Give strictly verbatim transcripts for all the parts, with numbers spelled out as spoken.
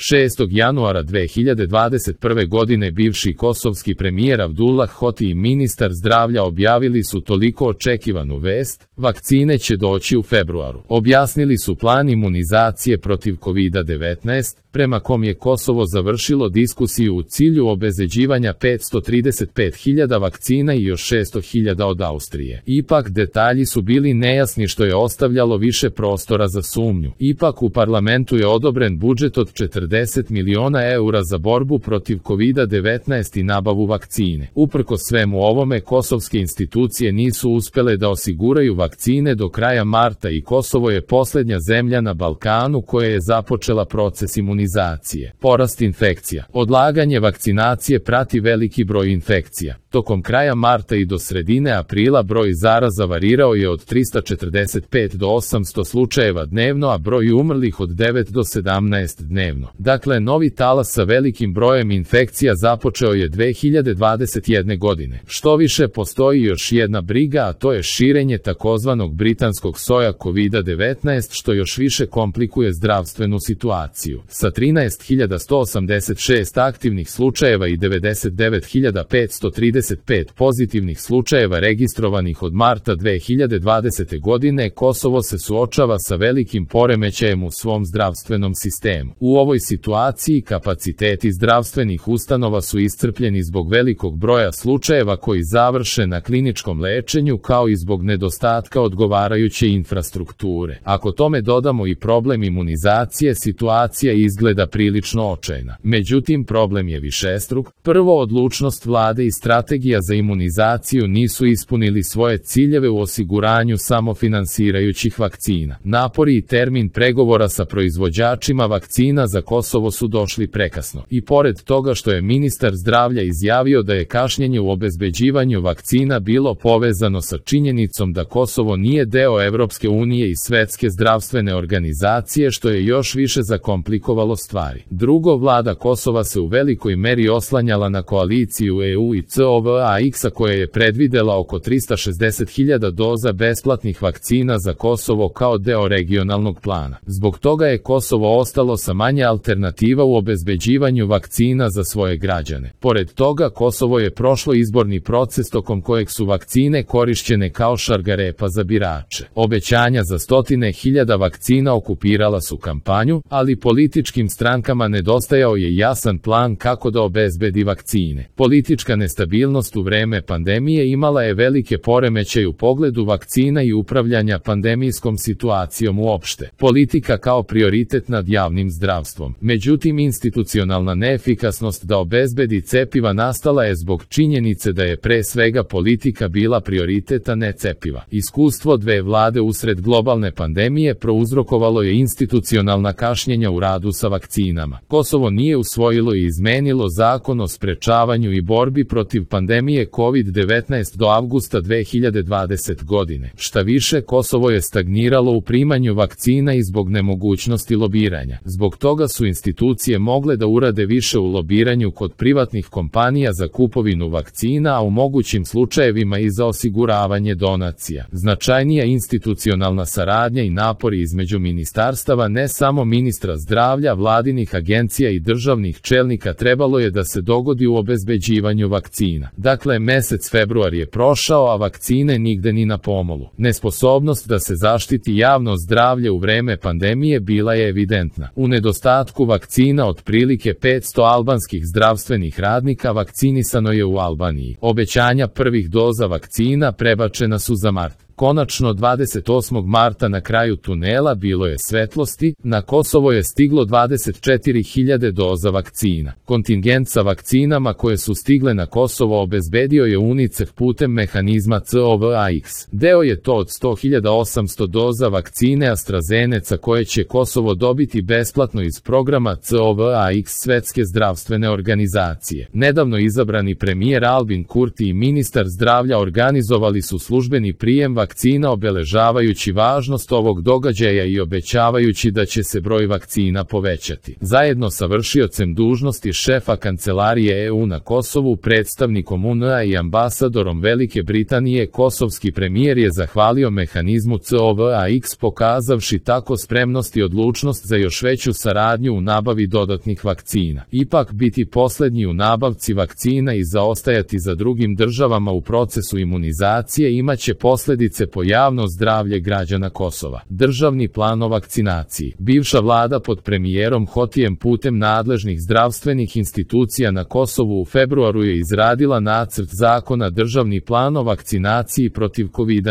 šestog januara dve hiljade dvadeset prve godine bivši kosovski premijer Abdullah Hoti i ministar zdravlja objavili su toliko očekivanu vest, vakcine će doći u februaru. Objasnili su plan imunizacije protiv kovid devetnaest, prema kom je Kosovo završilo diskusiju u cilju obezbeđivanja petsto trideset pet hiljada vakcina i još šesto hiljada od Austrije. Ipak detalji su bili nejasni što je ostavljalo više prostora za sumnju. Ipak u parlamentu je odobren budžet od četrdeset miliona eura za borbu protiv kovid devetnaest i nabavu vakcine. Uprkos svemu ovome, kosovske institucije nisu uspele da osiguraju vakcine do kraja marta i Kosovo je posljednja zemlja na Balkanu koja je započela proces imunizacije. Porast infekcija. Odlaganje vakcinacije prati veliki broj infekcija. Tokom kraja marta i do sredine aprila broj zaraza varirao je od trista četrdeset pet do osamsto slučajeva dnevno, a broj umrlih od devet do sedamnaest dnevno. Dakle, novi talas sa velikim brojem infekcija započeo je dve hiljade dvadeset jedne. godine. Što više, postoji još jedna briga, a to je širenje takozvanog britanskog soja kovid devetnaest, što još više komplikuje zdravstvenu situaciju. Sa trinaest hiljada sto osamdeset šest aktivnih slučajeva i devedeset devet hiljada petsto trideset pet pozitivnih slučajeva registrovanih od marta dve hiljade dvadesete. godine, Kosovo se suočava sa velikim poremećajem u svom zdravstvenom sistemu. U ovoj situaciji kapaciteti zdravstvenih ustanova su iscrpljeni zbog velikog broja slučajeva koji završe na kliničkom lečenju, kao i zbog nedostatka odgovarajuće infrastrukture. Ako tome dodamo i problem imunizacije, situacija izgleda prilično očajna. Međutim, problem je višestruk. Prvo, odlučnost vlade i strategija za imunizaciju nisu ispunili svoje ciljeve u osiguranju samofinansirajućih vakcina. Napori i termin pregovora sa proizvođačima vakcina za Kosovo su došli prekasno. I pored toga što je ministar zdravlja izjavio da je kašnjenje u obezbeđivanju vakcina bilo povezano sa činjenicom da Kosovo nije deo Evropske unije i Svetske zdravstvene organizacije, što je još više zakomplikovalo stvari. Drugo, vlada Kosova se u velikoj meri oslanjala na koaliciju E U i C O V A X-a koja je predvidela oko trista šezdeset hiljada doza besplatnih vakcina za Kosovo kao deo regionalnog plana. Zbog toga je Kosovo ostalo sa manje alternativa u obezbeđivanju vakcina za svoje građane. Pored toga, Kosovo je prošlo izborni proces tokom kojeg su vakcine korišćene kao šargarepa za birače. Obećanja za stotine hiljada vakcina okupirala su kampanju, ali političkim strankama nedostajao je jasan plan kako da obezbedi vakcine. Politička nestabilnost u vreme pandemije imala je velike poremećaje u pogledu vakcina i upravljanja pandemijskom situacijom uopšte. Politika kao prioritet nad javnim zdravstvom. Međutim, institucionalna neefikasnost da obezbedi cepiva nastala je zbog činjenice da je pre svega politika bila prioritet, a ne cepiva. Iskustvo dve vlade usred globalne pandemije prouzrokovalo je institucionalna kašnjenja u radu sa vakcinama. Kosovo nije usvojilo i izmenilo zakon o sprečavanju i borbi protiv pandemije kovid devetnaest do avgusta dve hiljade dvadesete. godine. Šta više, Kosovo je stagniralo u primanju vakcina i zbog nemogućnosti lobiranja. Zbog toga su institucije mogle da urade više u lobiranju kod privatnih kompanija za kupovinu vakcina, a u mogućim slučajevima i za osiguravanje donacija. Značajnija institucionalna saradnja i napori između ministarstava, ne samo ministra zdravlja, vladinih agencija i državnih čelnika, trebalo je da se dogodi u obezbeđivanju vakcina. Dakle, mesec februar je prošao, a vakcine nigde ni na pomolu. Nesposobnost da se zaštiti javno zdravlje u vreme pandemije bila je evidentna. U nedostatku vakcina otprilike petsto albanskih zdravstvenih radnika vakcinisano je u Albaniji. Obećanja prvih doza vakcina prebačena su za mart. Konačno dvadeset osmog marta na kraju tunela bilo je svetlosti, na Kosovo je stiglo dvadeset četiri hiljade doza vakcina. Kontingent sa vakcinama koje su stigle na Kosovo obezbedio je UNICEF putem mehanizma C O V A X. Deo je to od sto hiljada osamsto doza vakcine AstraZeneca koje će Kosovo dobiti besplatno iz programa C O V A X Svetske zdravstvene organizacije. Nedavno izabrani premijer Albin Kurti i ministar zdravlja organizovali su službeni prijem vakcina, obeležavajući važnost ovog događaja i obećavajući da će se broj vakcina povećati. Zajedno sa vršiocem dužnosti šefa kancelarije E U na Kosovu, predstavnikom U N A i ambasadorom Velike Britanije, kosovski premijer je zahvalio mehanizmu C O V A X, pokazavši tako spremnost i odlučnost za još veću saradnju u nabavi dodatnih vakcina. Ipak biti posljednji u nabavci vakcina i zaostajati za drugim državama u procesu imunizacije imaće posljedice po javno zdravlje građana Kosova. Državni plan o vakcinaciji. Bivša vlada pod premijerom Hotijem putem nadležnih zdravstvenih institucija na Kosovu u februaru je izradila nacrt zakona Državni plan o vakcinaciji protiv kovid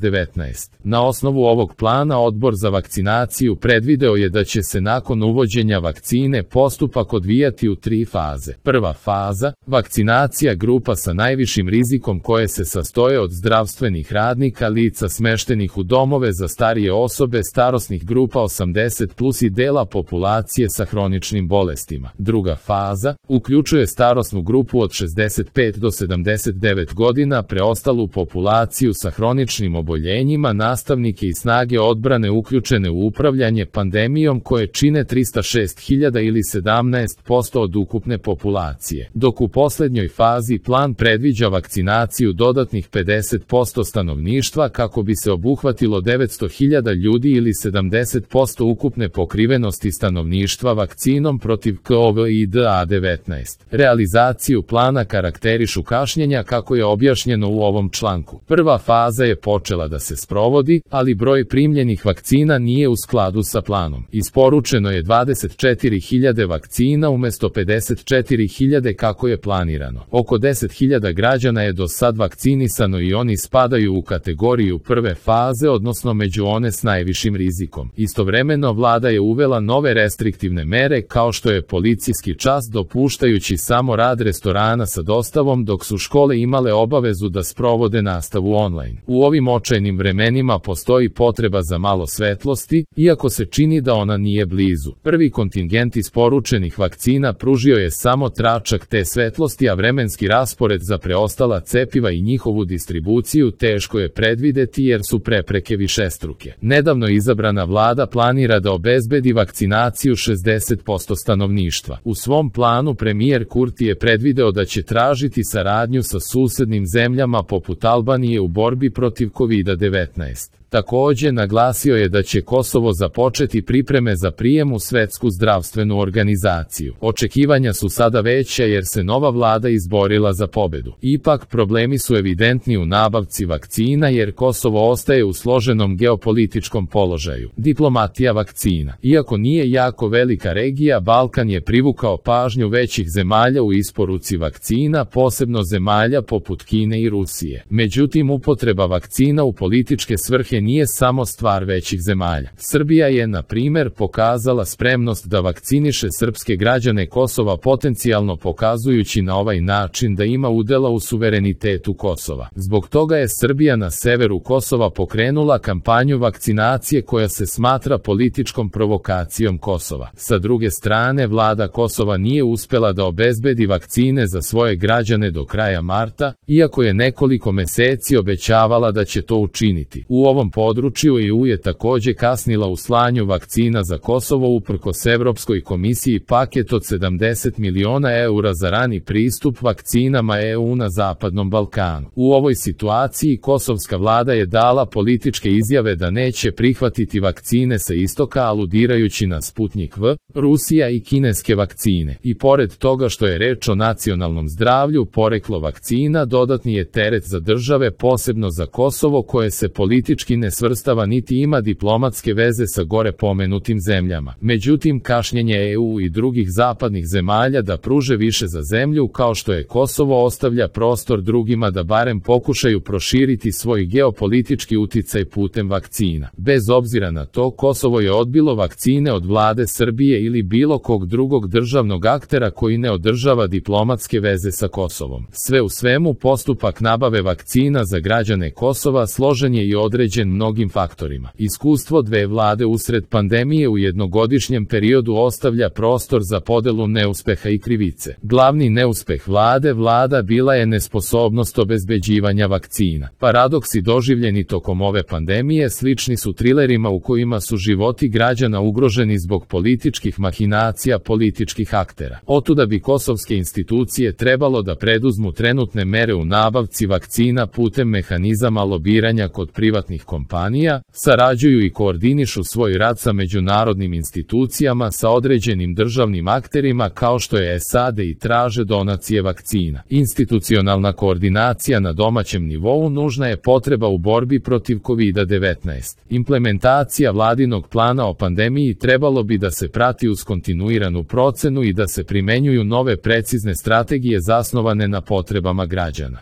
devetnaest. Na osnovu ovog plana Odbor za vakcinaciju predvideo je da će se nakon uvođenja vakcine postupak odvijati u tri faze. Prva faza, vakcinacija grupa sa najvišim rizikom koje se sastoje od zdravstvenih radnika, lica smeštenih u domove za starije osobe, starosnih grupa osamdeset plus i dela populacije sa hroničnim bolestima. Druga faza, uključuje starosnu grupu od šezdeset pet do sedamdeset devet godina, preostalu populaciju sa hroničnim oboljenjima, nastavnike i snage odbrane uključene u upravljanje pandemijom koje čine trista šest hiljada ili sedamnaest posto od ukupne populacije. Dok u posljednjoj fazi plan predviđa vakcinaciju dodatnih pedeset posto stanovništva kako bi se obuhvatilo devetsto hiljada ljudi ili sedamdeset posto ukupne pokrivenosti stanovništva vakcinom protiv kovid devetnaest. Realizaciju plana karakterišu kašnjenja kako je objašnjeno u ovom članku. Prva faza je počela da se sprovodi, ali broj primljenih vakcina nije u skladu sa planom. Isporučeno je dvadeset četiri hiljade vakcina umjesto pedeset četiri hiljade kako je planirano. Oko deset hiljada građana je do sad vakcinisano i oni spadaju u kategoriju prve faze, odnosno među one s najvišim rizikom. Istovremeno vlada je uvela nove restriktivne mere kao što je policijski čas, dopuštajući samo rad restorana sa dostavom, dok su škole imale obavezu da sprovode nastavu online. U ovim očajnim vremenima postoji potreba za malo svetlosti, iako se čini da ona nije blizu. Prvi kontingent isporučenih vakcina pružio je samo tračak te svetlosti, a vremenski raspored za preostala cepiva i njihovu distribuciju teško je predvideti jer su prepreke višestruke. Nedavno izabrana vlada planira da obezbedi vakcinaciju šezdeset posto stanovništva. U svom planu premijer Kurti je predvideo da će tražiti saradnju sa susednim zemljama poput Albanije u borbi protiv kovid devetnaest. Također naglasio je da će Kosovo započeti pripreme za prijem u Svetsku zdravstvenu organizaciju. Očekivanja su sada veća jer se nova vlada izborila za pobedu. Ipak problemi su evidentni u nabavci vakcina jer Kosovo ostaje u složenom geopolitičkom položaju. Diplomatija vakcina. Iako nije jako velika regija, Balkan je privukao pažnju većih zemalja u isporuci vakcina, posebno zemalja poput Kine i Rusije. Međutim, upotreba vakcina u političke svrhe nije samo stvar većih zemalja. Srbija je, na primjer, pokazala spremnost da vakciniše srpske građane Kosova, potencijalno pokazujući na ovaj način da ima udjela u suverenitetu Kosova. Zbog toga je Srbija na severu Kosova pokrenula kampanju vakcinacije koja se smatra političkom provokacijom Kosova. Sa druge strane, vlada Kosova nije uspjela da obezbedi vakcine za svoje građane do kraja marta, iako je nekoliko mjeseci obećavala da će to učiniti. U ovom području E U je također kasnila u slanju vakcina za Kosovo uprkos Evropskoj komisiji paket od sedamdeset miliona eura za rani pristup vakcinama E U na Zapadnom Balkanu. U ovoj situaciji kosovska vlada je dala političke izjave da neće prihvatiti vakcine sa istoka, aludirajući na Sputnik V, Rusija i kineske vakcine. I pored toga što je reč o nacionalnom zdravlju, poreklo vakcina dodatni je teret za države, posebno za Kosovo koje se politički ne svrstava niti ima diplomatske veze sa gore pomenutim zemljama. Međutim, kašnjenje E U i drugih zapadnih zemalja da pruže više za zemlju kao što je Kosovo ostavlja prostor drugima da barem pokušaju proširiti svoj geopolitički uticaj putem vakcina. Bez obzira na to, Kosovo je odbilo vakcine od vlade Srbije ili bilo kog drugog državnog aktera koji ne održava diplomatske veze sa Kosovom. Sve u svemu, postupak nabave vakcina za građane Kosova složen je i određen izložen mnogim faktorima. Iskustvo dve vlade usred pandemije u jednogodišnjem periodu ostavlja prostor za podelu neuspeha i krivice. Glavni neuspeh vlade vlada bila je nesposobnost obezbeđivanja vakcina. Paradoksi doživljeni tokom ove pandemije slični su trilerima u kojima su životi građana ugroženi zbog političkih mahinacija političkih aktera. Otuda bi kosovske institucije trebalo da preduzmu trenutne mere u nabavci vakcina putem mehanizama lobiranja kod privatnih kompanija, sarađuju i koordinišu svoj rad sa međunarodnim institucijama sa određenim državnim akterima kao što je S A D i traže donacije vakcina. Institucionalna koordinacija na domaćem nivou nužna je potreba u borbi protiv kovid devetnaest. Implementacija vladinog plana o pandemiji trebalo bi da se prati uz kontinuiranu procenu i da se primenjuju nove precizne strategije zasnovane na potrebama građana.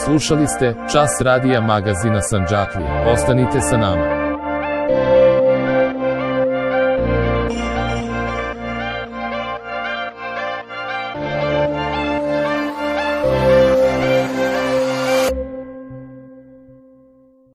Slušali ste Čas radija magazina Sandžaklija. Ostanite sa nama.